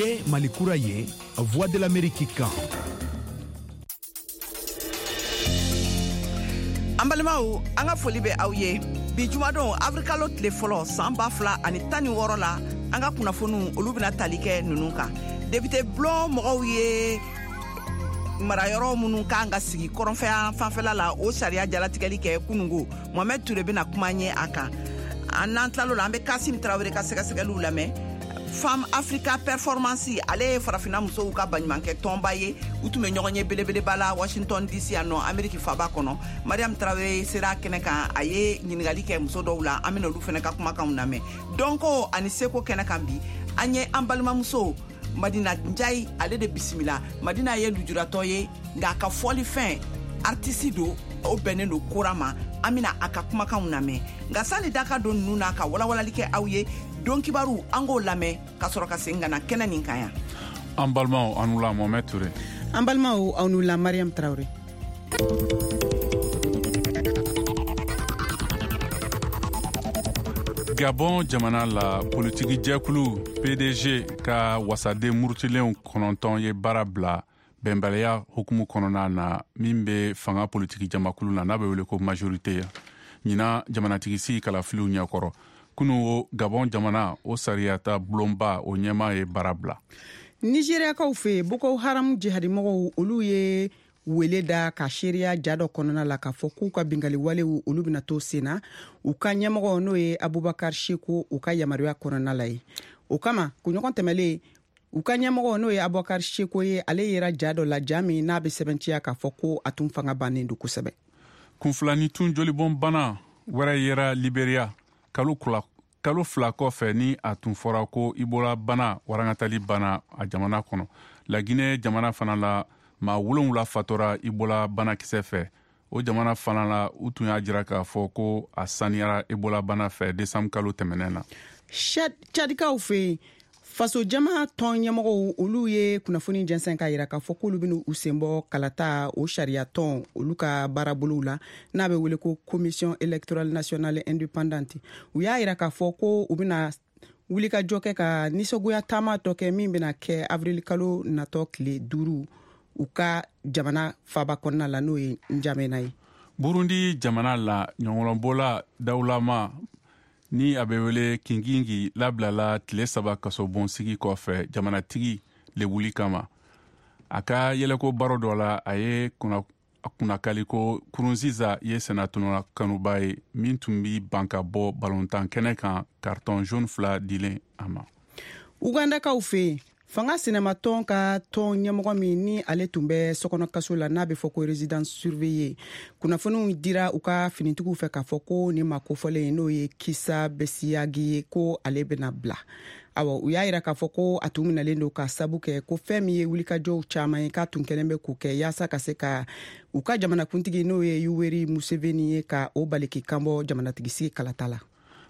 Ye Mali kura ye, Voix de l'Amérique kan. An balimaw, an ka foli bɛ aw ye bi jumadon, awirilikalo tile fɔlɔ, san 2016 la. An ka kunnafoniw, olu bɛna tali kɛ ninnu kan: depite bulon mɔgɔw ye marayɔrɔ minnu kan ka sigi kɔrɔnfɛ fanfɛla la, o sariya jalatigɛli kɛ kunungo. Mohamɛd Ture bɛna kuma ɲɛ a kan. An n'an tilalo la, an bɛ Kasim Tarawele ka sɛgɛsɛgɛliw lamɛn. Femme Africa Performance, ale ye Farafina musow ka baɲumankɛ tɔnba ye. U tun bɛ ɲɔgɔn ye belebeleba la Washington DC yan nɔ, Ameriki faba kɔnɔ. Mariam Tarawele sera kɛnɛ kan, a ye ɲininkali kɛ muso dɔw la. An bɛna olu fana ka kumakanw lamɛn. Dɔnko ani seko kɛnɛ kan bi, an ye an balimamuso Madina Njayi, ale de bisimila. Madina ye lujuratɔ ye, nka a ka fɔlifɛn, artiste don, o bɛnnen don kora ma. An bɛna a ka kumakanw lamɛn. Nka sani daka don ninnu n'a ka walawalali kɛ aw ye, don kibaru, an k'o lamɛn ka sɔrɔ ka segin ka na kɛnɛ nin kan yan. An balimaw, aw ni wula. Mohamɛd Ture. An balimaw, aw ni wula. Mariam Tarawele. Gabon jamana la, politiki jɛkulu PDG ka wasaden murutilenw 9 ye baara bila bɛnbaliya hukumu kɔnɔna na min bɛ fanga politiki jamakulu na, n'a bɛ wele ko majorité, ɲinan jamanatigi kalafiliw ɲɛkɔrɔ. Kunu o, Gabon jamana o sariyata bulonba o ɲɛmaa ye baara bila. Nizeriyakaw fɛ yen, Boko Haram jihadimɔgɔw, olu ye wele da ka seereya ja dɔ kɔnɔna la k'a fɔ k'u ka bingali walew, olu bɛna to sen na u ka ɲɛmɔgɔ, n'o ye Abubakar Seko, u ka yamaruya kɔnɔna la ye. O kama, kunɲɔgɔn tɛmɛlen, u ka ɲɛmɔgɔ, n'o ye Abubakar Seko ye, ale yera ja dɔ la, ja min n'a bɛ sɛbɛntiya k'a fɔ ko a tun fanga bannen don kosɛbɛ. Kunfilanitun jolibɔnbana wɛrɛ yera Liberia kalo 2 kɔfɛ ni a tun fɔra ko Ebola bana warangatali bana a jamana kɔnɔ. Laginɛ jamana fana la, maa 7 fatora Ebola banakisɛ fɛ. O jamana fana la, u tun y'a jira k'a fɔ ko a saniyara Ebola bana fɛ desanburu kalo tɛmɛnɛn na. Cadikaw fɛ yen, fasojama tɔn ɲɛmɔgɔw, olu ye kunnafoni jɛnsɛn k'a yira k'a fɔ k'olu bɛna u sen bɔ kalata o sariya tɔn, olu ka baarabolow la, n'a bɛ wele ko Commission électorale nationale indépendante. U y'a yira k'a fɔ ko u bɛna wulikajɔ kɛ ka nisɔngoya taama dɔ kɛ min bɛna kɛ avril kalo natɔ tile 5 u ka jamana faba kɔnɔna la, n'o ye Njamena ye. Burundi jamana la, ɲɔgɔlɔnbɔla dawulama ni a bɛ wele Kingingi labilala tile 3 kasobonsigi kɔfɛ jamanatigi lebuli kama. A ka yɛlɛko baro dɔ la, a ye kunnakali ko Nkurunziza ye senatɔnɔ kanuba ye min tun bi ban ka bɔ balontan kɛnɛ kan, carton jaune fila dilen a ma. Ugandakaw fɛ yen, fanga sinamatɔn ka tɔn ɲɛmɔgɔ min ni ale tun bɛ sokɔnɔ kaso la, n'a bɛ fɔ ko résidence surveillée, kunnafoniw dira u ka finitigiw fɛ k'a fɔ ko nin ma kofɔlen, n'o ye Kisa Besiyagi ye, ko ale bɛna bila. Awa, u y'a yira k'a fɔ ko a tun minɛlen don ka sabu kɛ ko fɛn min ye wulikajɔw caman ye k'a tun kɛlen bɛ k'o kɛ yaasa ka se ka u ka jamanakuntigi, n'o ye Yoweri Museveni ye, ka o bali k'i kanbɔ jamanatigisigi kalata la.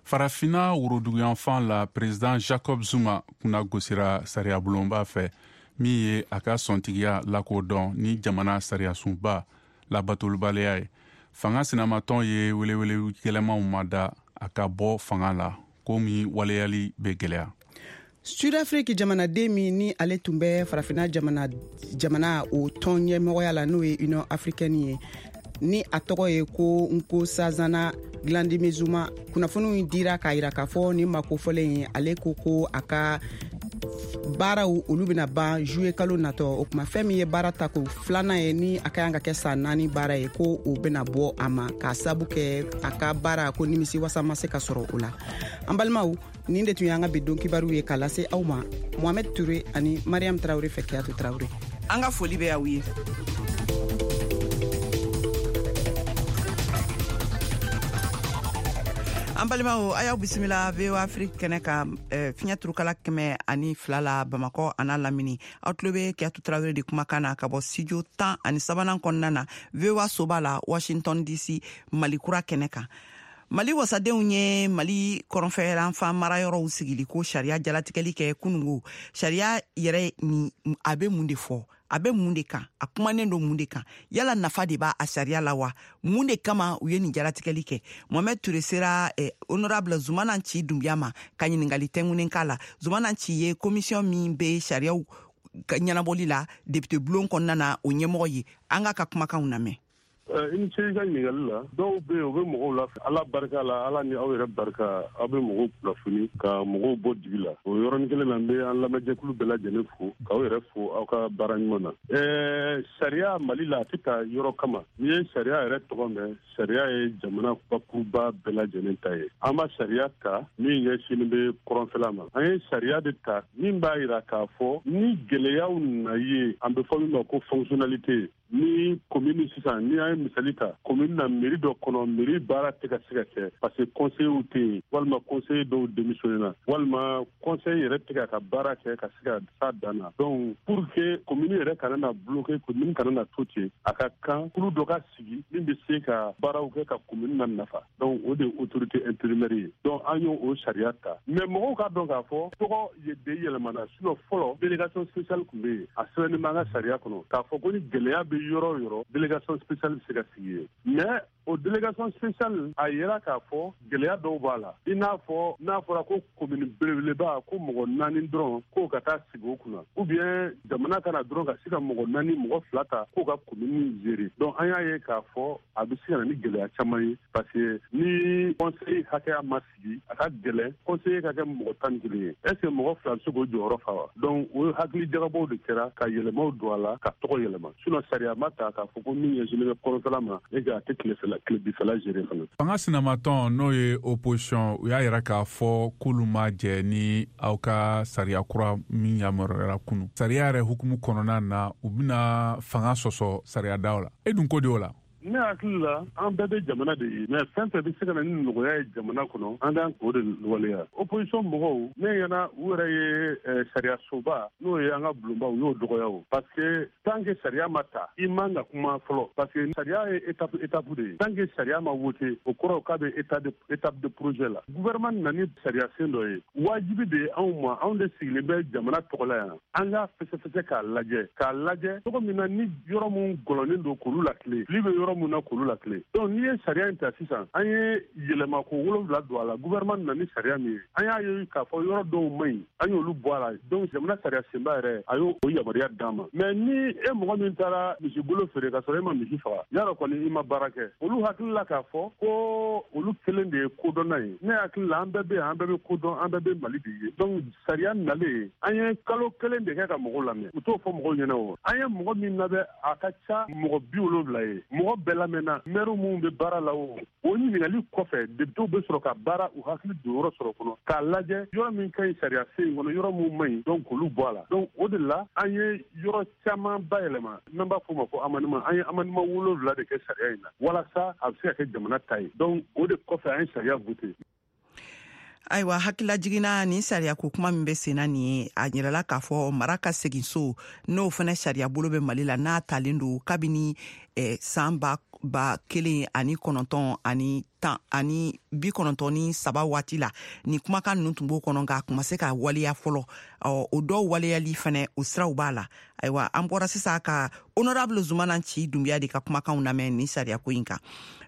Farafina woroduguyanfan la, président Jacob Zuma kunna gosira sariyabulonba fɛ min ye a ka sɔntigiya lakodɔn ni jamana sariyasunba labatolibaliya ye. Fanga sinamatɔn ye welewele gɛlɛmanw ma da a ka bɔ fanga la, ko min waleyali bɛ gɛlɛya. Sudafiriki jamanaden min ni ale tun bɛ Farafina jamana jamana o tɔn ɲɛmɔgɔya la, n'o ye Union africaine ye, ni a tɔgɔ ye ko Nkosazana Dlamini Zuma, kunnafoniw dira k'a yira k'a fɔ nin ma kofɔlen ye, ale ko ko a ka baaraw, olu bɛna ban juillet kalo natɔ. O tuma, fɛn min ye baara tako filanan ye, ni a ka kan ka kɛ san 4 baara ye, ko o bɛna bɔ a ma k'a sabu kɛ a ka baara ko nimisi wasa ma se ka sɔrɔ o la. An balimaw, nin de tun y'an ka bi don kibaru ye k'a lase aw ma Mohamed Ture ani Mariam Tarawure fɛ. Kiyatu Tarawure. An ka foli bɛ aw ye. An balimaw, a y'aw bisimila VOA Afrique kɛnɛ kan, fiɲɛ turukala 102 la, Bamakɔ an'a lamini. Aw tulo bɛ Kiyatu Tarawele de kumakan na ka bɔ studio 13nan kɔnɔna na, VOA soba la, Washington DC, Mali kura kɛnɛ kan. Mali wasadenw ye Mali kɔrɔnfɛyanfan marayɔrɔw sigili ko sariya jalatigɛli kɛ kunungo. Sariya yɛrɛ ni, a bɛ mun de fɔ? A bɛ mun de kan? A kumanen don mun de kan? Yala nafa de b'a a sariya la wa? Mun de kama u ye nin jalatigɛli kɛ? Mohamed Ture sera honorable Zumana Nci Dunbiya ma ka ɲininkali tɛngunen k'a la. Zumana Nci ye commission min bɛ sariyaw ɲɛnabɔli la député bulon kɔnɔna na, o ɲɛmɔgɔ ye. An k'a ka kumakanw lamɛn. I ni ce i ka ɲininkali la. Dɔw bɛ yen, u bɛ mɔgɔw la, Ala barika la, Ala ni aw yɛrɛ barika, aw bɛ mɔgɔw kunnafoni ka mɔgɔw bɔ dibi la. O yɔrɔnin kelen na, n bɛ an lamɛnjɛkulu bɛɛ lajɛlen fo, k'aw yɛrɛ fo aw ka baara ɲuman na. Sariya Mali la, a tɛ ta yɔrɔ kama. N'i ye sariya yɛrɛ tɔgɔ mɛn, sariya ye jamana bakuruba bɛɛ lajɛlen ta ye. An ma sariya ta min ɲɛsinnen bɛ kɔrɔnfɛla ma. An ye sariya de ta min b'a yira k'a fɔ ni gɛlɛyaw nana ye, an bɛ fɔ min ma ko fonctionnalité. Ni commune sisan, ni an ye misali ta, commune na, mairie dɔ kɔnɔ, mairie baara tɛ ka se ka kɛ parce que conseillers tɛ yen, walima conseiller dɔw démissionné na, walima conseil yɛrɛ tɛ ka ka baara kɛ ka se ka s'a dan na. Donc pour que commune yɛrɛ kana na bloquer, commune kana na to ten, a ka kan kulu dɔ ka sigi min bɛ se ka baaraw kɛ ka commune na nafa. Donc o de ye autorité intérimaire ye. Donc an y'o o sariya ta. Mais mɔgɔw k'a dɔn k'a fɔ tɔgɔ de yɛlɛmana. Sinon fɔlɔ, délégation spéciale tun bɛ yen. A sɛbɛnnen b'an ka sariya kɔnɔ k'a fɔ ko ni gɛlɛya bɛ yɔrɔ o yɔrɔ, délégation spéciale bɛ se ka sigi yen. Mais o délégation spéciale, a yera k'a fɔ gɛlɛya dɔw b'a la, i n'a fɔ n'a fɔra ko commune belebeleba, ko mɔgɔ naani dɔrɔn k'o ka taa sigi o kunna, ou bien jamana kana dɔrɔn ka se ka mɔgɔ naani, mɔgɔ fila ta k'o ka commune gérer. Donc an y'a ye k'a fɔ a bɛ se ka na ni gɛlɛya caman ye, parce que ni conseil hakɛya ma sigi, a ka gɛlɛn conseiller ka kɛ mɔgɔ 11 ye. Est ce que mɔgɔ fila bɛ se k'o jɔyɔrɔ fa wa? Donc o hakili jagabɔw de kɛra ka yɛlɛmaw don a la, ka tɔgɔ yɛlɛma. Sinon sariya ma ta k'a fɔ ko min ɲɛsinnen bɛ kɔrɔnfɛla ma e ka a tɛ tilefɛla, tilebifɛla gérer fana. Fanga sinamatɔn, n'o ye opposition, u y'a yira k'a fɔ k'olu ma jɛ ni aw ka sariya kura min yamaruyara kunu. Sariya yɛrɛ hukumu kɔnɔna na, u bɛna fanga sɔsɔ sariyadaw la. E dun ko di o la? Ne hakili la, an bɛɛ bɛ jamana de ye, mais fɛn fɛn bɛ se ka na ni nɔgɔya ye jamana kɔnɔ, an kan k'o de waleya. Opposition mɔgɔw, ne ɲɛna, u yɛrɛ ye sariya soba, n'o ye an ka bulonba, u y'o dɔgɔya o, parce que tant que sariya ma ta, i man ka kuma fɔlɔ, parce que sariya ye étape étape de ye. Tant que sariya ma voté, o kɔrɔ k'a bɛ état de étape de projet la. Gouvernement nana ni sariya sen dɔ ye, wajibi de ye anw ma, anw de sigilen bɛ jamana tɔgɔ la yan, an k'a fɛsɛfɛsɛ k'a lajɛ cogo min na ni yɔrɔ mun gɔlɔnnen don, k'olu lakile, fili bɛ yɔrɔ mun na, k'olu lakile. Donc n'i ye sariya in ta sisan, an ye yɛlɛma ko wolonwula don a la. Gouvernement nana ni sariya min ye, an y'a ye k'a fɔ yɔrɔ dɔw man ɲi, an y'olu bɔ a la. Donc jamana sariya senba yɛrɛ, a y'o o yamaruya d'an ma. Mais ni e mɔgɔ min taara misigolo feere ka sɔrɔ e ma misi faga, yarɔ kɔni i ma baara kɛ. Olu hakili la k'a fɔ ko olu kelen de ye kodɔnna ye. Ne hakili la, an bɛɛ bɛ yan, an bɛɛ bɛ kodɔn, an bɛɛ bɛ Mali de ye. Donc sariya nalen, an ye kalo kelen de kɛ ka mɔgɔw lamɛn. U t'o fɔ mɔgɔw ɲɛna. O an ye mɔgɔ min labɛn, a ka ca mɔgɔ 70 ye. Mɔgɔ bɛɛ lamɛnna, maire minnu bɛ baara la, o ɲininkali kɔfɛ, députéw bɛ sɔrɔ ka baara u hakili don yɔrɔ sɔrɔ kɔnɔ k'a lajɛ yɔrɔ min ka ɲi sariya sen in kɔnɔ, yɔrɔ min man ɲi, donc k'olu bɔ a la. Donc o de la an ye yɔrɔ caman bayɛlɛma, n'an b'a fɔ o ma ko amendement. An ye amendement wolonwula de kɛ sariya in na walasa a bɛ se ka kɛ jamana ta ye. Donc o de kɔfɛ, an ye sariya voté. Ayiwa, hakilila jiginna nin sariya ko kuma min bɛ senna nin ye, a yirala k'a fɔ mara ka segin so, n'o fana sariya bolo bɛ Mali la, n'a talen don kabini san 1993 waati la, nin kumakan ninnu tun b'o kɔnɔ, nka a kun ma se ka waleya fɔlɔ. Ɔ, o dɔw waleyali fɛnɛ, o siraw b'a la. Ayiwa, an bɔra sisan ka honorable Zumana Nci Dunbiya de ka kumakanw lamɛn nin sariya ko in kan.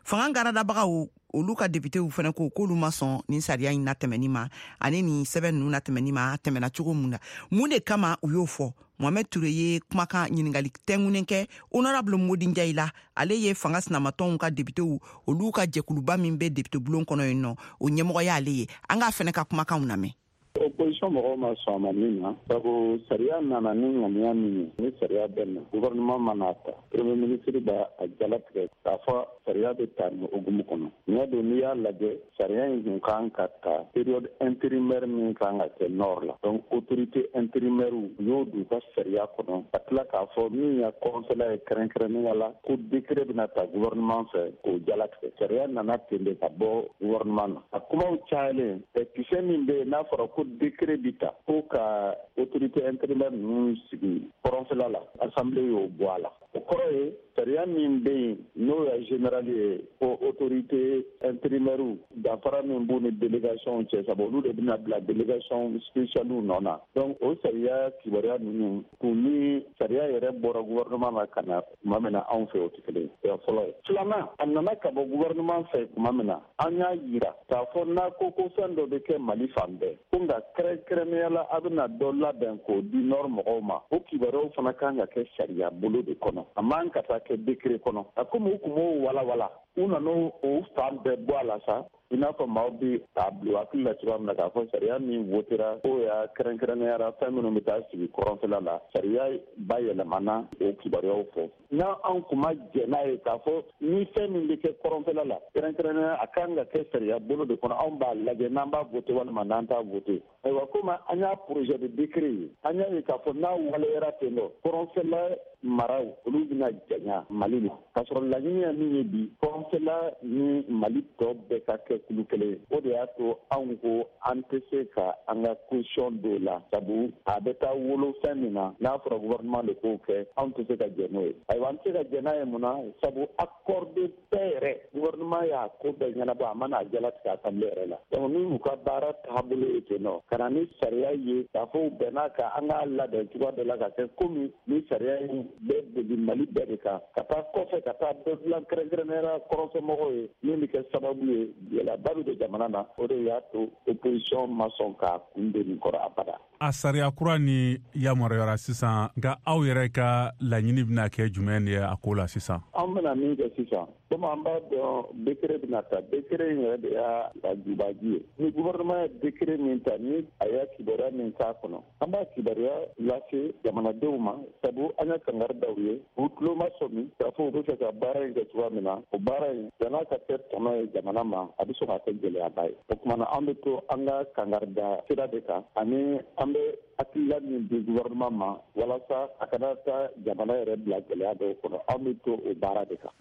Fanga garadabagaw, olu ka depitew fɛnɛ ko k'olu ma sɔn nin sariya in natɛmɛni ma ani nin sɛbɛn ninnu natɛmɛni ma. A tɛmɛna cogo mun na? Mun de kama u y'o fɔ? Mohamɛd Ture ye kumakan ɲiningali tɛngunen kɛ honorable Modi Njayi la. Ale ye fanga sinamatɔnw ka depitew, olu ka jɛkuluba min bɛ depite bulon kɔnɔ yen nɔ, o ɲɛmɔgɔ y'ale ye. An k'a fɛnɛ ka kumakanw lamɛn. Opposition mɔgɔw ma sɔn a ma min na, sabu sariya nana ni ŋaniya min ye, ni sariya bɛ na, gouvernement mana ta, premier ministre b'a a jalatigɛ k'a fɔ sariya bɛ ta nin hukumu kɔnɔ. Ɲɛ don, n'i y'a lajɛ, sariya in kun kan ka ta période intérimaire min kan ka kɛ nord la, donc autorité intérimaire, u y'o don u ka sariya kɔnɔ, ka tila k'a fɔ min ya kɔrɔnfɛla ye kɛrɛnkɛrɛnnenya la, ko décret bɛna ta gouvernement fɛ k'o jalatigɛ. Sariya nana ten de ka bɔ gouvernement na. A kumaw cayalen, kisɛ min bɛ yen n'a fɔra ko décret bi ta ko ka autorité intérimaire ninnu sigi kɔrɔnfɛla la, assemblée y'o bɔ a la. O kɔrɔ ye sariya min bɛ yen n'o ya général ye ko autorité intérimaire, danfara min b'u ni délégation cɛ, sabu olu de bɛna bila délégation spéciale nɔ na. Donc o sariya kibaruya ninnu kun ni sariya yɛrɛ bɔra gouvernement na ka na tuma min na anw fɛ, o tɛ kelen ye. O ye fɔlɔ ye. Filanan, a nana ka bɔ gouvernement fɛ tuma min na, an y'a yira k'a fɔ n'a ko ko fɛn dɔ bɛ kɛ Mali fan bɛɛ, ko nka kɛrɛnkɛrɛnnenya la a bɛna dɔ labɛn k'o di nord mɔgɔw ma, o kibaruyaw fana kan ka kɛ sariya bolo de kɔnɔ, a man ka taa kɛ décret kɔnɔ. A komi u kun b'o walawala, u nana o fan bɛɛ bɔ a la sa, i n'a fɔ maaw bɛ k'a bila hakili la cogoya min na k'a fɔ sariya min votera k'o y'a kɛrɛnkɛrɛnnenya fɛn minnu bɛ taa sigi kɔrɔnfɛla la, sariya bayɛlɛmana o kibaruyaw fɛ. N'an anw kun ma jɛn n'a ye k'a fɔ ni fɛn min bɛ kɛ kɔrɔnfɛla la, kɛrɛnkɛrɛnnenya a kan ka kɛ sariya bolo de kɔnɔ, anw b'a lajɛ n'an b'a vote walima n'an t'a vote. Ayiwa, komi an y'a projet de décret ye, an y'a ye k'a fɔ n'a waleyara ten nɔ, kɔrɔnfɛla maraw olu bɛna janya Mali la, k'a sɔrɔ laɲini ye min ye bi, kɔrɔnfɛla ni Mali tɔ bɛɛ ka kɛ kulu kelen ye. O de y'a to anw ko an tɛ se ka an ka caution don la, sabu a bɛ taa wolo fɛn min na, n'a fɔra gouvernement de k'o kɛ, anw tɛ se ka jɛn n'o ye. Ayiwa, an tɛ se ka jɛn n'a ye mun na? Sabu accord de paix yɛrɛ, gouvernement y'a ko bɛɛ ɲɛnabɔ, a ma n'a jalatigɛ assemblée yɛrɛ la. Donc ni u ka baara taabolo ye ten nɔ, ka na ni sariya ye k'a fɔ u bɛn'a kan an k'a labɛn cogoya dɔ la ka kɛ komi ni sariya in bɛ boli Mali bɛɛ de kan, ka taa kɔfɛ ka taa dɔ dilan kɛrɛnkɛrɛnnenya la kɔrɔnfɛmɔgɔw ye, min bɛ kɛ sababu ye gɛlɛyaba bɛ don jamana na. O de y'a to opposition ma sɔn k'a kun don nin kɔrɔ abada. A sariya kura ni yamaruyara sisan, nka aw yɛrɛ ka laɲini bɛna kɛ jumɛn ye a ko la sisan? An bɛna min kɛ sisan, komi an b'a dɔn décret bɛna ta, décret in yɛrɛ de y'a la jubaji ye. Ni gouvernement ye décret min ta, ni a y'a kibaruya min k'a kɔnɔ, an b'a kibaruya lase jamanadenw ma, sabu an ye kangari da u ye, u tulo ma sɔmi k'a fɔ u bɛ fɛ ka baara in kɛ cogoya min na. O baara in yan'a ka kɛ tɔnɔ ye jamana ma, a bɛ sɔn ka kɛ gɛlɛyaba ye. O tuma na an bɛ to an ka kangari da sira de kan, ani an bɛ hakilila min di gouvernement ma walasa a kana taa jamana yɛrɛ bila gɛlɛya dɔw kɔnɔ, an bɛ to o baara de kan.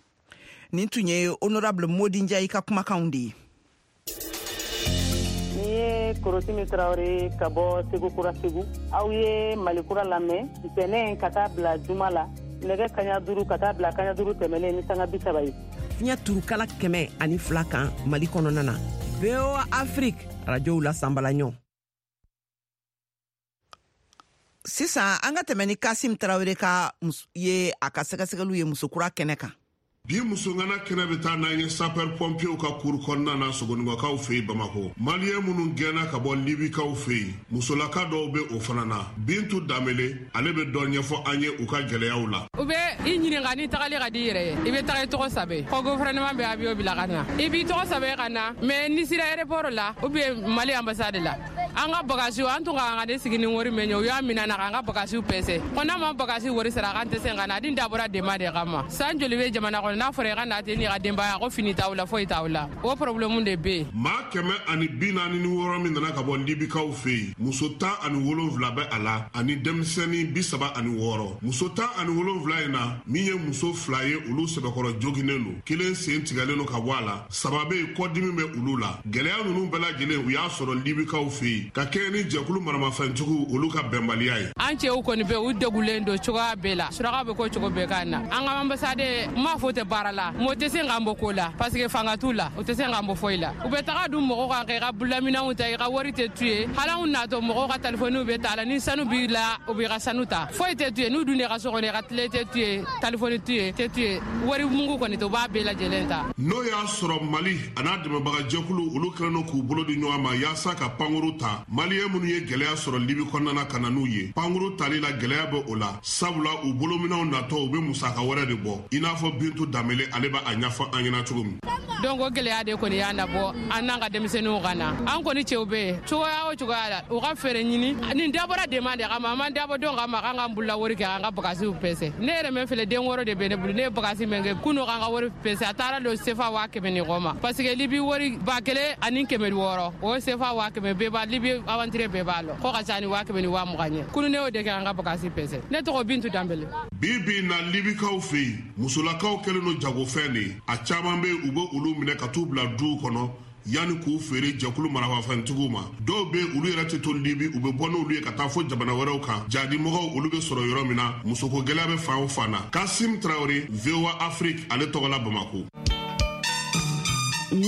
Nin tun ye honorable Modi Ndiaye ka kumakanw de ye. Ni ye Korotimi Tarawele ka bɔ Segu Kura Segu. Aw ye Mali Kura lamɛn ntɛnɛn ka taa bila juma la, nɛgɛ kaɲa 5 ka taa bila kaɲa 5 tɛmɛnen ni sanga 30 ye. Fiɲɛ turukala 102 kan Mali kɔnɔna na. VOA Afrique radio la sanbalaɲɔ. Sisan an ka tɛmɛ ni Kasim Tarawele ka ye a ka sɛgɛsɛgɛliw ye musokura kɛnɛ kan. Bi musongana kɛnɛ bɛ taa n'an ye sapeur pompiers ka kuru kɔnɔna na Sogonikɔkaw fɛ yen Bamakɔ. Maliyɛn minnu gɛnna ka bɔ Libikaw fɛ yen, musolaka dɔw bɛ o fana na. Bintu Danbele, ale bɛ dɔ ɲɛfɔ an ye u ka gɛlɛyaw la. U bɛ i ɲininka ni tagali ka di i yɛrɛ ye, i bɛ taga i tɔgɔ sɛbɛn. Ko gouvernement bɛ avion bila ka na, i b'i tɔgɔ sɛbɛn ka na, mais n'i sera aéroport la ou bien Mali ambassade la, an ka bagage an tun ka kan ka ne sigi ni wari min ye, u y'a minɛ na k'an ka bagage pɛsɛ. Ko n'a ma bagage wari sara, k'an tɛ se ka na. A dun dabɔra dema de kama. San joli bɛ jamana kɔnɔ, n'a fɔra i ka na ten n'i ka denbaya, ko fini t'aw la, foyi t'aw la, o problème de bɛ yen. Maa 146 min nana ka bɔ Libikaw fɛ yen, muso 17 bɛ a la ani denmisɛnnin 36. Muso 17 in na, min ye muso 2 ye, olu sɛbɛkɔrɔ joginnen don, kelen sen tigɛlen don ka bɔ a la, 3 bɛ yen kɔdimi bɛ olu la. Gɛlɛya ninnu bɛɛ lajɛlen u y'a sɔrɔ Libikaw fɛ yen ka kɛɲɛ ni jɛkulu maramafɛntigiw olu ka bɛnbaliya ye. An cɛw kɔni bɛ u degulen don cogoya bɛɛ la, suraka bɛ ko cogo bɛɛ kan na. An ka ambassade n m'a fɔ tɛ baara la, mɔgɔ tɛ se k'an bɔ ko la, parce que fanga t'u la, u tɛ se k'an bɔ foyi la. U bɛ taga dun mɔgɔw kan k'i ka bolominɛnw ta, i ka wari tɛ tu ye. Hali anw natɔ mɔgɔw ka telefɔniw bɛ ta la, ni sanu b'i la, u b'i ka sanu ta. Foyi tɛ tu ye, n'u dun ka so kɔnɔ, i ka tile tɛ tu ye, telefɔni tu ye, tɛ tu ye, wari mugu kɔni tɛ, u b'a bɛɛ lajɛlen ta. N'o y'a sɔrɔ Mali a n'a dɛmɛbagajɛkulu olu kɛlen don k'u bolo di ɲɔgɔn ma yaasa ka pankuru ta Maliyɛn minnu ye gɛlɛya sɔrɔ Libi kɔnɔna na ka na n'u ye. Pankuru tali la gɛlɛya bɛ o la, sabula u bolominɛnw natɔ u bɛ musaka wɛrɛ de bɔ, i n'a fɔ Bintu Danbele ale b'a ɲɛfɔ an ɲɛna cogo min. Donc o gɛlɛya de kɔni y'an nabɔ an n'an ka denmisɛnninw ka na. An kɔni cɛw bɛ yen cogoya o cogoya la, u ka fɛɛrɛ ɲini. Nin dabɔra dema de kama, an m'an dabɔ dɔn kama k'an k'an bolola wari kɛ k'an ka bagasiw pɛsɛ. Ne yɛrɛ min filɛ, den 6 de bɛ ne bolo, ne ye bagasi min kɛ kunun k'an ka wari pɛsɛ, a taara don sefa 100 ni kɔ ma, parce que Libi wari 1600, o ye sefa 100,000 bɛɛ b'a Libi aventure bɛɛ b'a lɔn ko ka ca ni 100,000 ni 20,000 ye. Kunun ne y'o de kɛ k'an ka bagasi pɛsɛ. Ne tɔgɔ Bintu Danbele. Bi bi na Libikaw fɛ yen, musolakaw kɛlen don jagofɛn de ye. A caman bɛ yen, u bɛ olu minɛ ka t'u bila duw kɔnɔ Yanni k'u feere jɛkulu marafafɛntigiw ma. Dɔw bɛ olu yɛrɛ tɛ to Libi, u bɛ bɔ n'olu ye ka taa fo jamana wɛrɛw kan. Jadimɔgɔw olu bɛ sɔrɔ yɔrɔ min na, musoko gɛlɛya bɛ fan o fan na. Kasim Traoré, VOA Afrique, ale tɔgɔ la Bamako.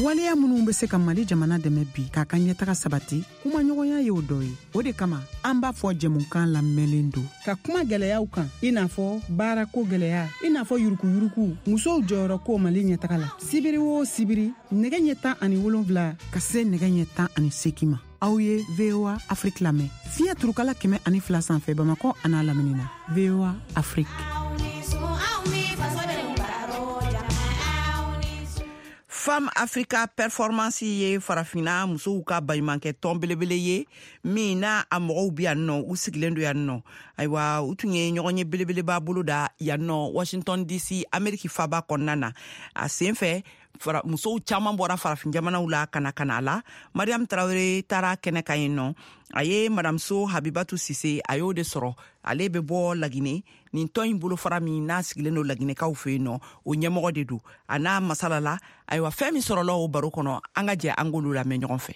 Waleya minnu bɛ se ka Mali jamana dɛmɛ bi k'a ka ɲɛtaga sabati, kumaɲɔgɔnya y'o dɔ ye. O de kama an b'a fɔ jɛmukan lamɛnlen don ka kuma gɛlɛyaw kan, i n'a fɔ baarako gɛlɛya, i n'a fɔ yurukuyuruku, musow jɔyɔrɔ ko Mali ɲɛtaga la. Sibiri o sibiri, nɛgɛ ɲɛ 17 ka se nɛgɛ ɲɛ 18 ma, aw ye VOA Afrique lamɛn fiɲɛ turukala 102 sanfɛ Bamakɔ an'a lamini na. VOA Afrique. Femme Africa Performance ye farafinna musow ka baɲumankɛ tɔn belebele ye min n'a a mɔgɔw bi yan nɔ, u sigilen don yan nɔ. Ayiwa, u tun ye ɲɔgɔn ye belebeleba bolo da yan nɔ Washington DC, Ameriki faba kɔnɔna na. A sen fɛ, musow caman bɔra farafin jamanaw la ka na ka na a la. Mariam Tarawele taara kɛnɛ kan yen nɔ, a ye Madame So Habibatu Sise, a y'o de sɔrɔ. Ale bɛ bɔ Lagine. Nin tɔn in bolofara min n'a sigilen don Laginɛkaw fɛ yen nɔ, o ɲɛmɔgɔ de don. A n'a masala la. Ayiwa, fɛn min sɔrɔla o baro kɔnɔ, an ka jɛ an k'olu lamɛn ɲɔgɔn fɛ.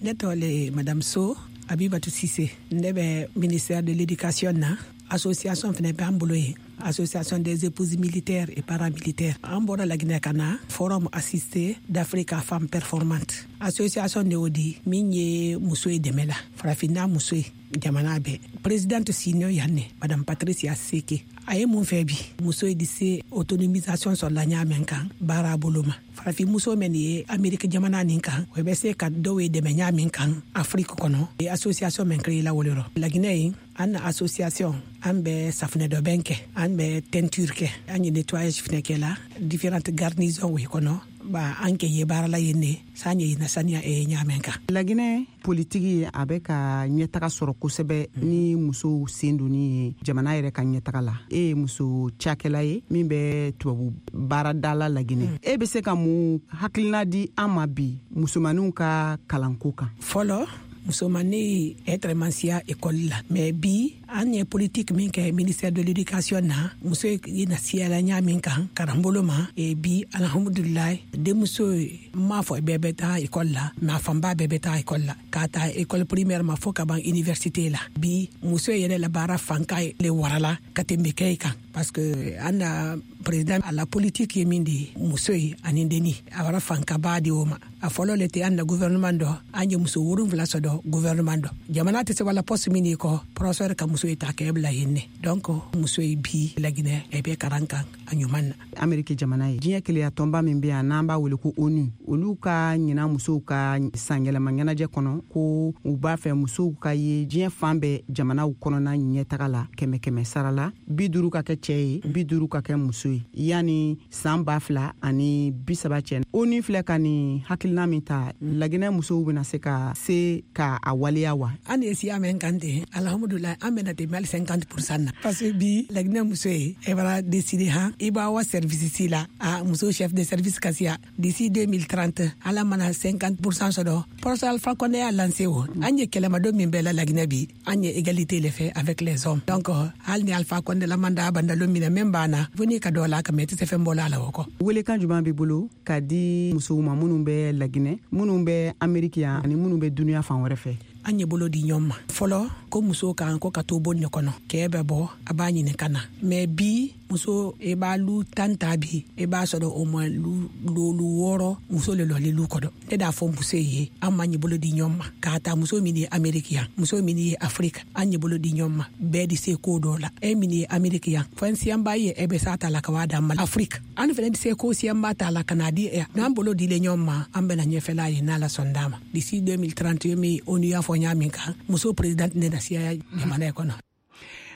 Ne tɔgɔ le Madame So Abibatu Sise. Ne bɛ ministère de l'Éducation na. Association fɛnɛ b'an bolo yen, Association des épouses militaires et paramilitaires. An bɔra Laginɛ ka na forum assisté d'Africa Femmes Performantes. Association de y'o di min ye muso ye dɛmɛ la, farafinna muso ye jamana bɛɛ. Présidente senior yan ne Madame Patricia Seke. A ye mun fɛ bi, muso ye di se autonomisation sɔrɔla ɲa mɛn kan baara bolo ma. Farafin muso mɛn ye Ameriki jamana nin kan, o bɛ se ka dɔw ye dɛmɛ ɲa min kan Afrique kɔnɔ. Association mɛn créé la wolo rɔ Laginɛ yen. An na association, an bɛ safunɛ dɔbɛn kɛ, an bɛ teinture kɛ, an ye nettoyage fɛnɛ kɛ la différentes garnisons o kɔnɔ. Ba an kɛ ye baara la yen ne san ye na saniya e ɲaamɛn kan. Laginɛ politiki a bɛ ka ɲɛtaga sɔrɔ kosɛbɛ ni musow sen donni ye jamana yɛrɛ ka ɲɛtaga la. E ye muso cakɛla ye min bɛ tubabu baarada la Laginɛ. E bɛ se ka mun hakilina di an ma bi musomaninw ka kalanko kan? Fɔlɔ, musomanni être siya école la, mais bi an ye politique min kɛ ministère de l'Éducation na, muso ye na siyala ɲa min kan karanbolo ma. E bi, alhamdulilayi, denmuso m'a fɔ bɛɛ bɛ taa école la, mais a fanba bɛɛ bɛ taa école la, k'a ta école primaire ma fo ka ban université la. Bi muso yɛrɛ la baara fanka le warala ka tɛmɛ kɛ kan, parce que an na président a la politique ye min de ye muso ye ani denni, a wara fankaba di o ma. A fɔlɔ le tɛ an na gouvernement dɔ, an ye muso 7 sɔrɔ gouvernement dɔ. Jamana tɛ se wala poste min kɔ, professeur ka muso ye ta kɛ bila yen ne. Donc muso ye bi Laginɛ e bɛ karan kan a ɲuman na. Ameriki jamana ye diɲɛ keleya tɔnba min bɛ yan n'an b'a wele ko ONU, olu ka ɲinan musow ka sanyɛlɛma ɲɛnajɛ kɔnɔ ko u b'a fɛ musow ka ye diɲɛ fan bɛɛ jamanaw kɔnɔna ɲɛtaga la, 100 sara la, 50 ka kɛ cɛ ye, 50 ka kɛ muso ye yanni san 2030 cɛ. ONU filɛ ka nin hakilina min ta, Laginɛ musow bɛna se ka se ka a waleya wa? An ye siya mɛn kan ten, alhamdulilayi, an bɛna tɛmɛ hali 50% na, parce que bi Laginɛ muso ye e b'a décider han i b'a wa service si la, a muso chef de service ka siya d'ici 2030, ala mana 50% sɔrɔ. Professeur Alpha Condé y'a lancé o, an ye kɛlɛmadon min bɛɛ la Laginɛ bi, an ye égalité le fait avec les hommes. Donc hali ni Alpha Condé la mandat bandalo minɛ min banna, fo n'i ka dɔ la ka mɛ tɛ se fɛn bɔ la o kɔ. Welekan jumɛn b'i bolo ka di musow ma minnu bɛ Laginɛ, minnu bɛ Ameriki yan ani minnu bɛ dunuya fan wɛrɛ fɛ? An ye bolo di ɲɔgɔn ma. Fɔlɔ ko muso kan ko ka to bon ne kɔnɔ, kɛ bɛ bɔ a b'a ɲini ka na, mais bi muso e b'a lu 10 ta bi, e b'a sɔrɔ au moins lu 6 muso le lɔli lu kɔnɔ. Ne d'a fɔ muso ye, an m'an ye bolo di ɲɔgɔn ma, k'a ta muso min ye Ameriki yan, muso min ye Afrique, an ye bolo di ɲɔgɔn ma, bɛɛ di se ko dɔ la. E min ye Ameriki yan, fɛn siyanba ye e bɛ s'a ta la ka waa d'an ma Afrique, an fɛnɛ di se ko siyanba ta la ka n'a di e. N'an bolo dilen ɲɔgɔn ma, an bɛna ɲɛfɛla ye n'Ala sɔn d'a ma. D'ici 2031 min ONU y'a fɔ ɲa min kan, muso présidente ne na siya jamana kɔnɔ.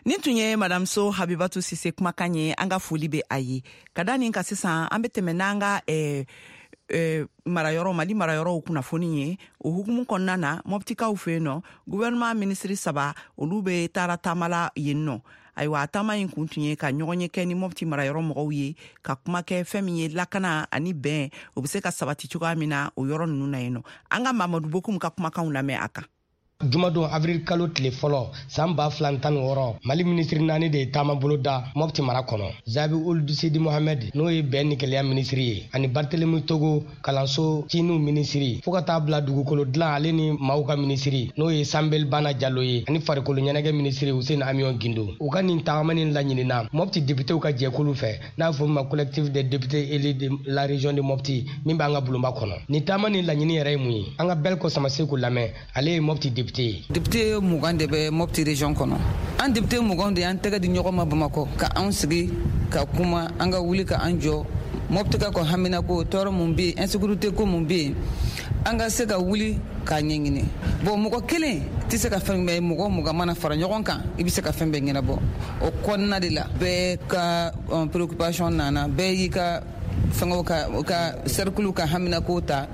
Nin tun ye Madame So Habibatu Sise kumakan ye. An ka foli bɛ a ye. Ka da nin kan sisan, an bɛ tɛmɛ n'an ka marayɔrɔ, Mali marayɔrɔw kunnafoni ye. O hukumu kɔnɔna na, Mɔptikaw fɛ yen nɔ, gouvernement ministre 3 olu bɛ taara taama la yen nɔ. Ayiwa, a taama in kun tun ye ka ɲɔgɔn ye kɛ ni Mɔpti marayɔrɔ mɔgɔw ye, ka kuma kɛ fɛn min ye lakana ani bɛn, o bɛ se ka sabati cogoya min na o yɔrɔ ninnu na yen nɔ. An ka Mamadu Bokum ka kumakanw lamɛn a kan. Jumadon avril kalo tile fɔlɔ san 2016, Mali minisiri 4 de ye taama bolo da Mopti mara kɔnɔ. Zabi Ould Sidi Mohamed, n'o ye bɛn ni kelenya minisiri ye, ani Barthélemy Togo, kalanso ciniw minisiri, fo ka taa bila dugukolo dilan ale ni maaw ka minisiri, n'o ye Sanbel Bana Jalo ye, ani farikolo ɲɛnajɛ minisiri Hussein Amion Gindo. U ka nin tagama nin laɲinina Mopti députéw ka jɛkulu fɛ, n'a fɔ ma collectif des députés élus de la région de Mopti, min b'an ka bulonba kɔnɔ. Nin taama nin laɲini yɛrɛ ye mun ye? An ka Belko Samaseku lamɛn, ale ye Mopti député. Député 20 de bɛ Mopti région kɔnɔ. An député 20 de y'an tɛgɛ di ɲɔgɔn ma Bamakɔ, ka anw sigi ka kuma, an ka wuli ka an jɔ Mopti ka ko haminako, tɔɔrɔ mun bɛ yen, insécurité ko mun bɛ yen, an ka se ka wuli k'a ɲɛɲini. Bon, mɔgɔ kelen tɛ se ka fɛn bɛɛ, mɔgɔ 20 mana fara ɲɔgɔn kan, i bɛ se ka fɛn bɛɛ ɲɛnabɔ. O kɔnɔna de la, bɛɛ ka préoccupation nana, bɛɛ y'i ka fɛngɛw ka cercle ka haminako ta.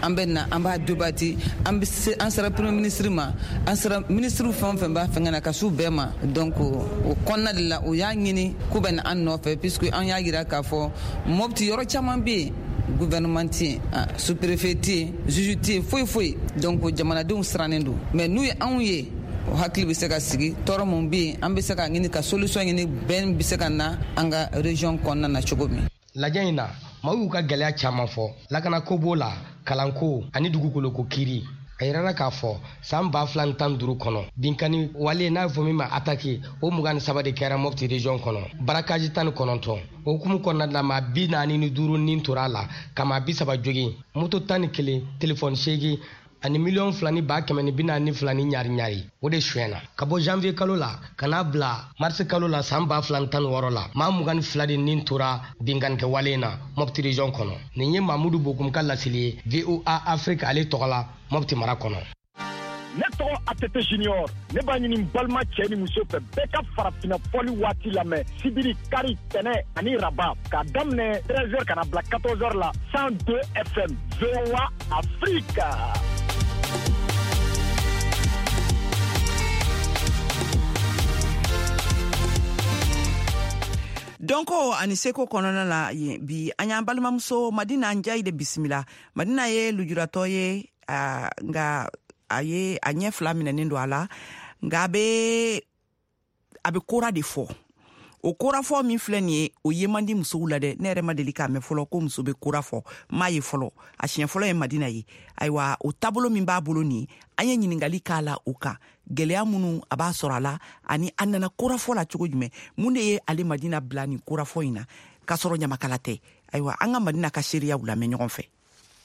An bɛ na, an b'a débattre, an bɛ se, an sera premier ministre ma, an sera ministre fɛn o fɛn b'a fɛngɛ na, ka s'u bɛɛ ma. Donc o kɔnɔna de la, u y'a ɲini k'u bɛ na an nɔfɛ, puisque an y'a yira k'a fɔ Mopti yɔrɔ caman bɛ yen, gouvernement tɛ yen, sous-préfet tɛ yen, juge tɛ yen, foyi foyi. Donc jamanadenw sirannen don, mais n'u ye anw ye, o hakili bɛ se ka sigi. Tɔɔrɔ mun bɛ yen, an bɛ se ka ɲini ka solution ɲini, bɛn bɛ se ka na an ka région kɔnɔna na cogo min. Lajɛ in na, maaw y'u ka gɛlɛya caman fɔ, lakanako b'o la, kalanko ani dugukoloko kiiri. A yirala k'a fɔ san 2015 kɔnɔ, binkanni wale n'a fɔ min ma attaque, o 23 de kɛra Mopti région kɔnɔ, barakaji 19. O hukumu kɔnɔna la, maa 45 nin tora a la, ka maa 30 jogin, moto 11, telefɔni 8 ani 2,142 ni ɲari ɲari, o de suyɛnna. Ka bɔ janvier kalo la ka n'a bila mars kalo la san 2016 la, maa 22 de nin tora binkannikɛ wale na Mopti région kɔnɔ. Nin ye Mamudu Bokum ka laseli ye VOA Afrique ale tɔgɔ la Mopti mara kɔnɔ. Ne tɔgɔ ATT Junior, ne b'a ɲini n balima cɛ ni muso fɛ, bɛɛ ka farafinna fɔli waati lamɛn sibiri, kari, tɛnɛ ani raba, k'a daminɛ 13h ka na bila 14h la, 102 FM, VOA Afrique. Dɔnko ani seko kɔnɔna la yen bi, an y'an balimamuso Madina Njayi de bisimila. Madina ye lujuratɔ ye, nka a ye a ɲɛ fila minɛnen don a la, nka a bɛ kora de fɔ. O korafɔ min filɛ nin ye, o ye man di musow la dɛ. Ne yɛrɛ ma deli k'a mɛn fɔlɔ ko muso bɛ kora fɔ, m'a ye fɔlɔ. A siɲɛ fɔlɔ ye Madina ye. Ayiwa, o taabolo min b'a bolo nin, an ye ɲininkali k'a la o kan, gɛlɛya minnu a b'a sɔrɔ a la, ani a nana korafɔ la cogo jumɛn, mun de ye ale Madina bila nin korafɔ in na k'a sɔrɔ ɲamakala tɛ. Ayiwa, an ka Madina ka seereyaw lamɛn ɲɔgɔn fɛ.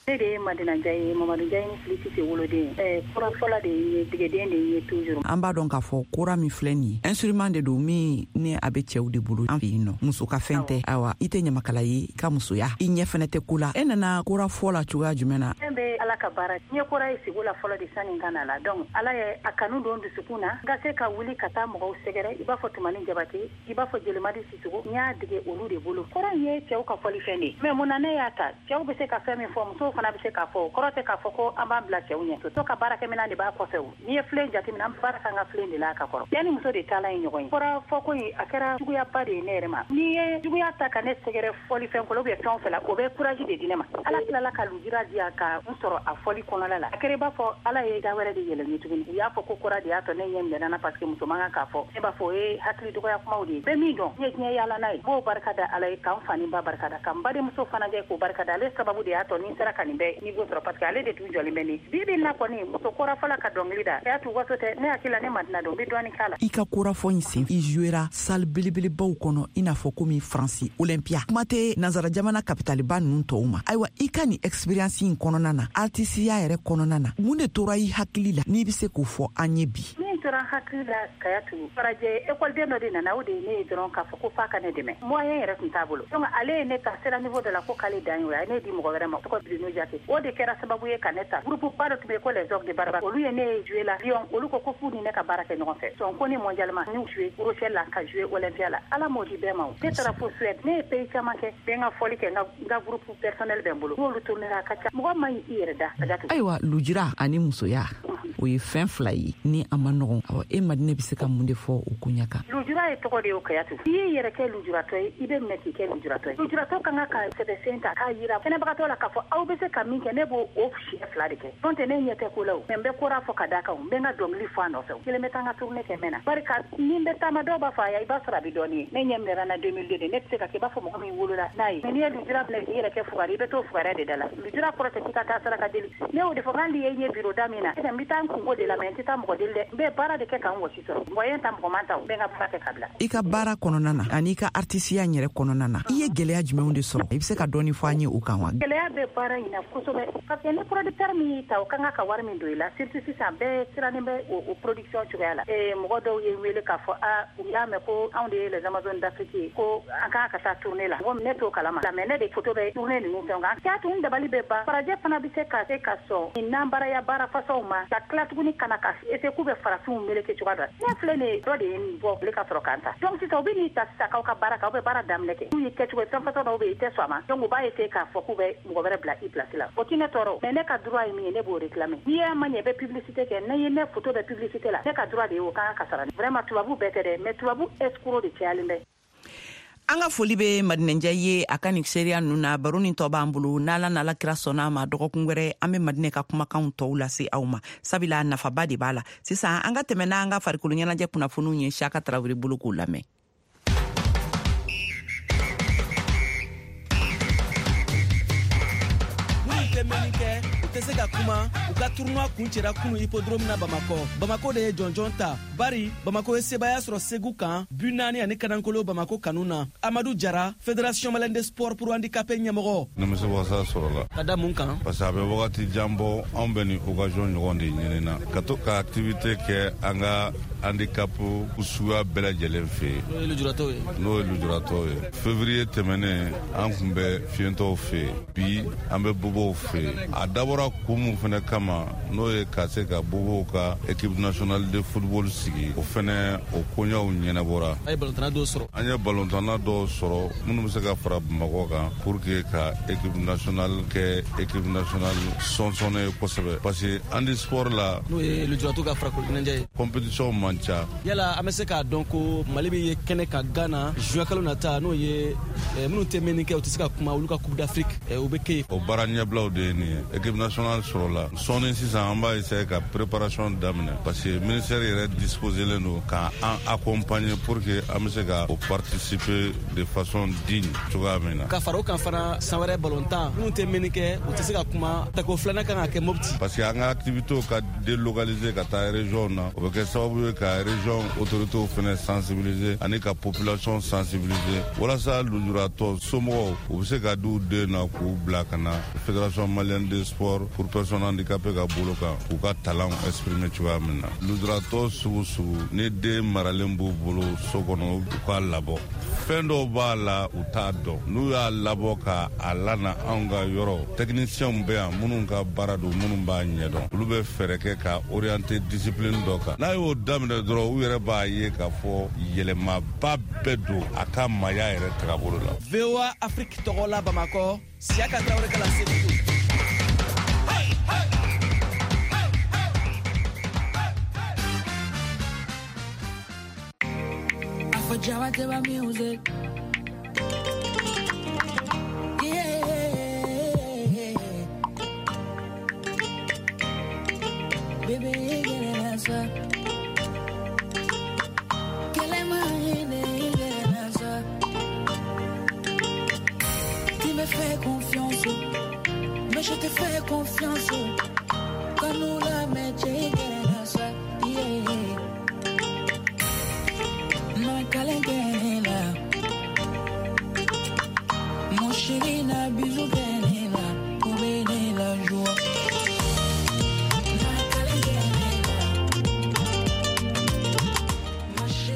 Ne de ye Madina Njayi ye, Mamadu Njayi ni Fili Sise woloden ye. Korafɔla de ye, degeden de ye toujours. An b'a dɔn k'a fɔ kora min filɛ nin ye, instrument de don min ni a bɛ cɛw de bolo an fɛ yen nɔ, muso ka fɛn tɛ. Ayiwa, i tɛ ɲamakala ye, i ka musoya, i ɲɛ fɛnɛ tɛ ko la. E nana kora fɔ la cogoya jumɛn na? Fɛn bɛ Ala ka baara. N ye kora ye sigi la fɔlɔ de sani n ka na la. Donc Ala ye a kanu don dusukun na, n ka se ka wuli ka taa mɔgɔw sɛgɛrɛ, i b'a fɔ Tumani Jabate, i b'a fɔ Jelimadi Sisoko, n y'a dege olu de bolo. Kora in ye cɛw ka fɔlifɛn de ye, mais mun na ne y'a ta? Cɛw bɛ se ka fɛn min fɔ, musow fana bɛ se k'a fɔ. O kɔrɔ tɛ k'a fɔ ko an b'an bila cɛw ɲɛ. To ka baarakɛminɛn de b'a kɔfɛ o. N'i ye filen jateminɛ, an baara k'an ka filen de la a ka kɔrɔ. Cɛ ni muso de taalan ye ɲɔgɔn ye. Kora fɔko in, a kɛra juguyaba de ye ne yɛrɛ ma. N'i ye juguya ta ka ne sɛgɛrɛ fɔlifɛn ko la ou bien fɛn o fɛn la, o bɛ courage de di ne ma. Ala tilala ka lujura di yan ka n sɔrɔ a fɔli kɔnɔna la. A kɛra i b'a fɔ Ala ye da wɛrɛ de yɛlɛ n ye tuguni. U y'a fɔ ko kora de y'a tɔ ne ɲɛ minɛna na parce que muso man kan k'a fɔ. Ne b'a fɔ o ye hakili dɔgɔya kumaw de ye. Bɛ min dɔn, n ye diɲɛ yaala n'a ye. N b'o barika da Ala ye, k'an fa ni ba barika da, k'an badenmuso fana kɛ k'o barika da. Ale sababu de y'a tɔ ni n sera ka nin bɛɛ niveau sɔrɔ, parce que ale de tun jɔlen bɛ ne. Bi bi in na kɔni, muso korafɔla ka dɔnkili da, a y'a to waso tɛ, ne hakili la ne Madina don, n bɛ dɔɔnin k'a la. I ka korafɔ in sen, i jouera salle belebelebaw kɔnɔ, i n'a fɔ komi Faransi Olympia, kuma tɛ nansara jamana kapitaliba ninnu tɔw ma. Ayiwa, i ka nin expérience in kɔnɔna na, artisiya yɛrɛ kɔnɔna na, mun de tora i hakili la n'i bɛ se k'o fɔ an ye bi? Min tora n hakili la, Kayatu, farajɛ ekɔliden dɔ de nana, o de ye ne ye dɔrɔn k'a fɔ ko f'a ka ne dɛmɛ. Moyen yɛrɛ tun t'a bolo. Donc ale ye ne ta sera niveau dɔ la ko k'ale dan ye o ye, a ye ne di mɔgɔ wɛrɛ ma, tɔgɔ Bruno Jacques. O de kɛra sababu ye ka ne ta. Groupe ba dɔ tun bɛ yen ko les Ogres de Baraba, olu ye ne jouer la Lyon, olu ko ko f'u ni ne ka baara kɛ ɲɔgɔn fɛ. Donc ko ni mondialement, n y'u jouer Rochelle la, ka jouer Olympia la. Ala m'o di bɛɛ ma o. Ne taara fo Suède, ne ye pays caman kɛ, bɛ n ka fɔli kɛ, n ka groupe personnel bɛ n bolo. N'olu tournera a ka ca. Mɔgɔ man ɲi i yɛrɛ da. Ayiwa, lujura ani musoya, o ye fɛn fila ye ni a ma nɔgɔn. Awa, e Madina bɛ se ka mun de fɔ o koɲɛ kan? Lujura ye tɔgɔ de ye o Kayatu. I y'i yɛrɛ kɛ lujuratɔ ye, i bɛ minɛ k'i kɛ lujuratɔ ye. Lujuratɔ ka kan ka sɛbɛsen ta k'a yira kɛnɛbagatɔ la k'a fɔ aw bɛ se ka min kɛ, ne b'o o siɲɛ 2 de kɛ. N'o tɛ ne ɲɛ tɛ ko la o, mais n bɛ kora fɔ ka d'a kan, n bɛ n ka dɔnkili fɔ a nɔfɛ. Kelen bɛ taa n ka tournée kɛ mɛn na. Bari ka ni n bɛ taama dɔw b'a fɔ ayi, i b'a sɔrɔ a bɛ dɔɔnin ye. Ne ɲɛ minɛra n na 2002 de, ne tɛ se ka kɛ i b'a fɔ mɔgɔ min wolola n'a ye. Mais n'i ye lujura minɛ k'i yɛrɛ kɛ fugari, i bɛ t'o fugariya de da la. Lujura kɔrɔ tɛ k'i ka taa saraka deli. Ne y'o de fɔ k'an ye ɲɛ biro da min na, n bɛ taa n kungo de la, mais n tɛ taa mɔgɔ deli dɛ. N bɛ baara de kɛ ka n wɔsi sɔrɔ. Mɔgɔ ye n ta, mɔgɔ man ta, n bɛ n ka baara kɛ ka bila. I ka baara kɔnɔna na ani i ka artisiya yɛrɛ kɔnɔna na, i ye gɛlɛya jumɛnw de sɔrɔ? I bɛ se ka dɔɔni fɔ an ye o kan wa? Gɛlɛya bɛ baara in na kosɛbɛ, parce que ni producteur min y'i ta, o ka kan ka wari min don i la, surtout sisan bɛɛ sirannen bɛ o production cogoya la. Mɔgɔ dɔw ye n wele k'a fɔ a u y'a mɛn ko anw de ye les Amazones d'Afrique ye, ko an kan ka taa tournée la. Mɔgɔ ne t'o kalama, mais ne de photo bɛ tournée ninnu fɛnw kan. K'a tun dabali bɛ ban. Farajɛ fana bɛ se ka se ka sɔn nin nanbaraya baara façon ma, ka tila tuguni ka na ka essayer k'u bɛ farafinw meleke cogoya dɔ la. Ne filɛ nin ye, dɔ de ye n bɔ tile ka sɔrɔ k'an ta. Donc sisan u bɛ n'i ta sisan k'aw ka baara kɛ, aw bɛ baara daminɛ kɛ. N'u ye kɛcogo ye, fɛn façon dɔw bɛ yen, i tɛ sɔn a ma. Donc u b'a essayer k'a fɔ k'u bɛ mɔgɔ wɛrɛ bila i place la. O tɛ ne tɔɔrɔ, mais ne ka droit ye min ye, ne b'o réclamer. N'i y'a ma ɲɛ, i bɛ publicité kɛ. N'i ye ne photo bɛ publicité la, ne ka droit de ye o kan ka sara. Vraiment tubabu bɛɛ tɛ dɛ, mais tubabu escroc de cayalen bɛ. An ka foli bɛ Madinɛnjɛ ye a ka nin seereya ninnu na. Baro nin tɔ b'an bolo, n'Ala n'Ala kira sɔnna a ma, dɔgɔkun wɛrɛ an bɛ Madinɛ ka kumakanw tɔw lase aw ma, sabula nafaba de b'a la. Sisan an ka tɛmɛ n'an ka farikolo ɲɛnajɛ kunnafoniw ye Siyaka Tarawele bolo k'o lamɛn. Minnu tɛ mɛnni kɛ, u tɛ se ka kuma, u ka tournoi kuncɛra kunu hippodrome na Bamakɔ. Bamakɔ de ye jɔnjɔn ta, bari Bamakɔ ye sebaaya sɔrɔ Segu kan 4 ani kanankolo Bamakɔ kanu na. Amadu Jara, Fédération malienne de sport pour handicapés ɲɛmɔgɔ. Nimisiwasa sɔrɔla. Ka da mun kan? Parce que a bɛ wagati jan bɔ, anw bɛ nin occasion ɲɔgɔn de ɲini na, ka to ka activité kɛ an ka handicap suguya bɛɛ lajɛlen fɛ yen. N'o ye lujuratɔw ye. N'o ye lujuratɔw ye. Février tɛmɛnen, an tun bɛ fiyentɔw fɛ yen. Bi, an bɛ bobow fɛ yen. A dabɔra kun mun fɛnɛ kama, n'o ye ka se ka bobow ka équipe nationale de football sigi, o fɛnɛ o koɲɛw ɲɛnabɔra. A ye balontanna dɔw sɔrɔ. An ye balontanna dɔw sɔrɔ minnu bɛ se ka fara Bamakɔ kan pour que ka équipe nationale kɛ équipe nationale sɔnsɔnnen ye kosɛbɛ, parce que handisport la, n'o ye lujuratɔw ka farikolo ɲɛnajɛ ye, compétition man ca. Yala an bɛ se k'a dɔn ko Mali bɛ ye kɛnɛ kan Ghana juin kalo nata, n'o ye minnu tɛ mɛnni kɛ, u tɛ se ka kuma, olu ka Coupe d'Afrique o bɛ kɛ yen. O baara ɲɛbilaw de ye nin ye. Équipe nationale sɔrɔla sɔɔni sisan, an b'a essayer ka préparation daminɛ, parce que ministère yɛrɛ disposelen don k'an accompagner pour que an bɛ se ka o participer de façon digne cogoya min na. Ka fara o kan fana, san wɛrɛ balontan, minnu tɛ mɛnni kɛ, u tɛ se ka kuma, tako filanan kan ka kɛ Mopti. Parce que an ka activités ka délocaliser ka taa région na, o bɛ kɛ sababu ye ka région autorités fɛnɛ sensibiliser ani ka population sensibiliser, walasa lujuratɔ somɔgɔw u bɛ se ka d'u den na k'u bila ka na Fédération malienne de sport pour personnes handicapées ka bolo kan, k'u ka talent exprimer cogoya min na. Lujuratɔ sugu sugu ni den maralen b'u bolo so kɔnɔ, u k'a labɔ. Fɛn dɔw b'a la, u t'a dɔn. N'u y'a labɔ ka a lana anw ka yɔrɔ, techniciens bɛ yan minnu ka baara don, minnu b'a ɲɛdɔn, olu bɛ fɛɛrɛ kɛ ka orienter discipline dɔ kan. N'a y'o daminɛ dɔrɔn, u yɛrɛ b'a ye k'a fɔ yɛlɛmaba bɛɛ don a ka maaya yɛrɛ tagabolo la. VOA Afrique tɔgɔ la Bamakɔ, Siyaka Tarawele ka lase don. Java Java music. Yeah. Baby, you get an answer. Kelema, you get an answer. Tu me fais confiance, mais je te fais confiance. Quand nous la mettons, you get an answer. Yeah. Kalengela mon chéri na bisou kenela obene la joie.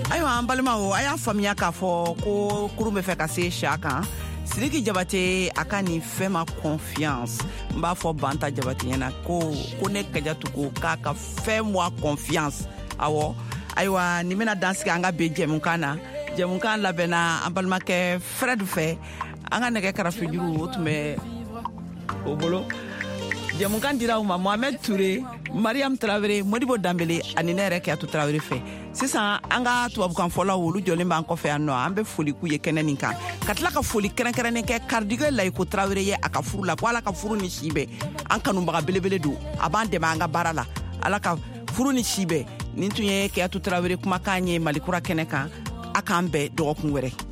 Ayiwa an balimaw, a y'a faamuya k'a fɔ ko kurun bɛ fɛ ka se siya kan. Sidiki Jabate a ka nin fɛn ma confiance. N b'a fɔ Banta Jabate ɲɛna ko ne Kajatu ko k'a ka fɛn moi confiance. Awɔ, ayiwa nin bɛna dan sigi an ka bi jɛmukan na. Jɛmukan labɛnna an balimakɛ Fred fɛ, an ka nɛgɛ karafejuru o tun bɛ o bolo. Jɛmukan dira aw ma Mohamed Touré, Mariam Tarawele, Modibo Danbele ani ne yɛrɛ Keyatu Tarawele fɛ. Sisan an ka tubabukanfɔlaw, olu jɔlen b'an kɔfɛ yan nɔ. An bɛ foli k'u ye kɛnɛ nin kan, ka tila ka foli kɛrɛnkɛrɛnnen kɛ Karidigɛ Layiko Tarawele ye a ka furu la, ko Ala ka furu ni si bɛn. An kanubaga belebele don, a b'an dɛmɛ an ka baara la. Ala ka furu ni si bɛn. Nin tun ye Keyatu Tarawele kumakan ye Malikura kɛnɛ kan. A k'an bɛn dɔgɔkun wɛrɛ.